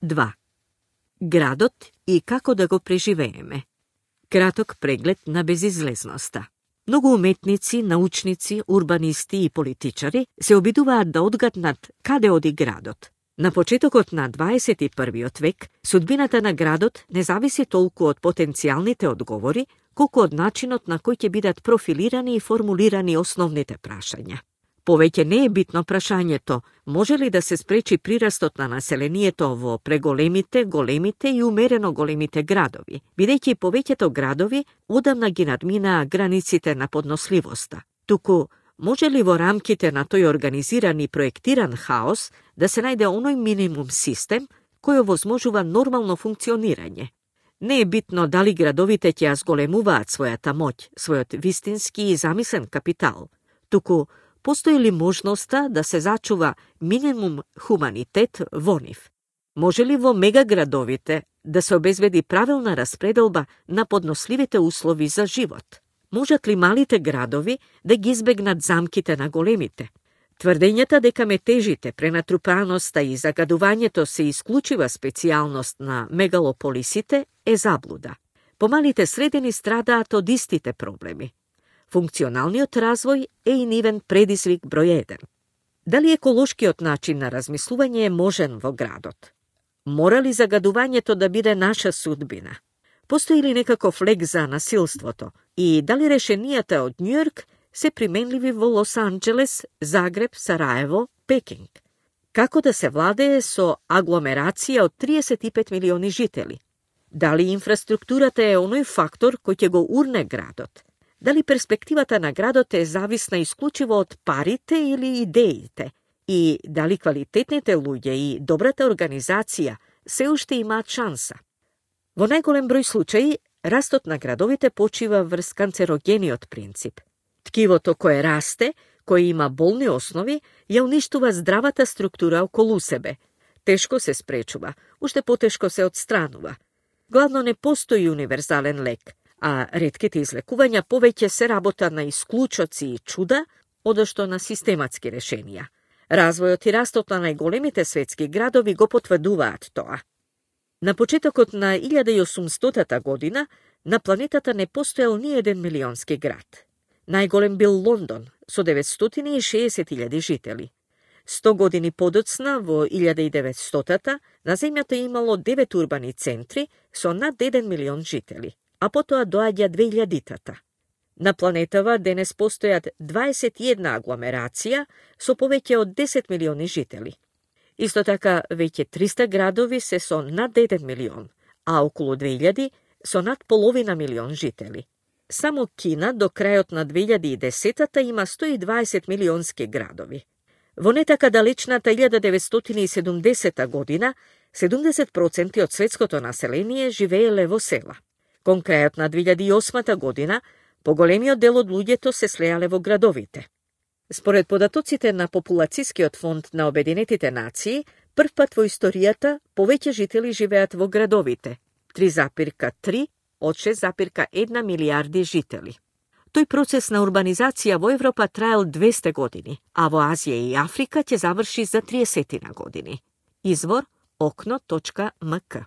2. Градот и како да го преживееме. Краток преглед на безизлезноста. Многу уметници, научници, урбанисти и политичари се обидуваат да одгаднат каде оди градот. На почетокот на 21. век, судбината на градот не зависи толку од потенцијалните одговори, колку од начинот на кој ќе бидат профилирани и формулирани основните прашања. Повеќе не е битно прашањето, може ли да се спречи прирастот на населението во преголемите, големите и умерено големите градови, бидејќи повеќето градови одамна ги надминаа границите на подносливоста. Туку, може ли во рамките на тој организиран и проектиран хаос да се најде оној минимум систем кој овозможува нормално функционирање? Не е битно дали градовите ќе ја зголемуваат својата моќ, својот вистински и замислен капитал, туку постои ли можноста да се зачува минимум хуманитет во нив? Може ли во мегаградовите да се обезбеди правилна распределба на подносливите услови за живот? Можат ли малите градови да ги избегнат замките на големите? Тврдењата дека метежите, пренатрупаноста и загадувањето се исклучива специјалност на мегалополисите е заблуда. Помалите средини страдаат од истите проблеми. Функционалниот развој е и нивен предизвик број 1. Дали еколошкиот начин на размислување е можен во градот? Мора ли загадувањето да биде наша судбина? Постои ли некаков лек за насилството? И дали решенијата од Њујорк се применливи во Лос Анџелес, Загреб, Сараево, Пекинг? Како да се владее со агломерација од 35 милиони жители? Дали инфраструктурата е оној фактор кој ќе го урне градот? Дали перспективата на градот е зависна исклучиво од парите или идеите? И дали квалитетните луѓе и добрата организација се уште имаат шанса? Во најголем број случаи, растот на градовите почива врз канцерогениот принцип. Ткивото кое расте, кое има болни основи, ја уништува здравата структура околу себе. Тешко се спречува, уште потешко се отстранува. Главно не постои универзален лек, а ретките излекувања повеќе се работа на исклучоци и чуда, одошто на систематски решенија. Развојот и растот на најголемите светски градови го потврдуваат тоа. На почетокот на 1800 година на планетата не постоел ни еден милионски град. Најголем бил Лондон со 960.000 жители. 100 години подоцна, во 1900-та, на земјата имало 9 урбани центри со над 1 милион жители, а потоа доаѓа 2000-та. На планетава денес постојат 21 агломерација со повеќе од 10 милиони жители. Исто така, веќе 300 градови се со над 1 милион, а околу 2000 со над половина милион жители. Само Кина до крајот на 2010-та има 120 милионски градови. Во не така далечната 1970 година, 70% од светското население живееле во села. Кон крајот на 2008 година, поголемиот дел од луѓето се слеале во градовите. Според податоците на Популацијскиот фонд на Обединетите нации, првпат во историјата повеќе жители живеат во градовите, 3,3 од 6,1 милиарди жители. Тој процес на урбанизација во Европа траел 200 години, а во Азија и Африка ќе заврши за 30 години. Извор okno.mk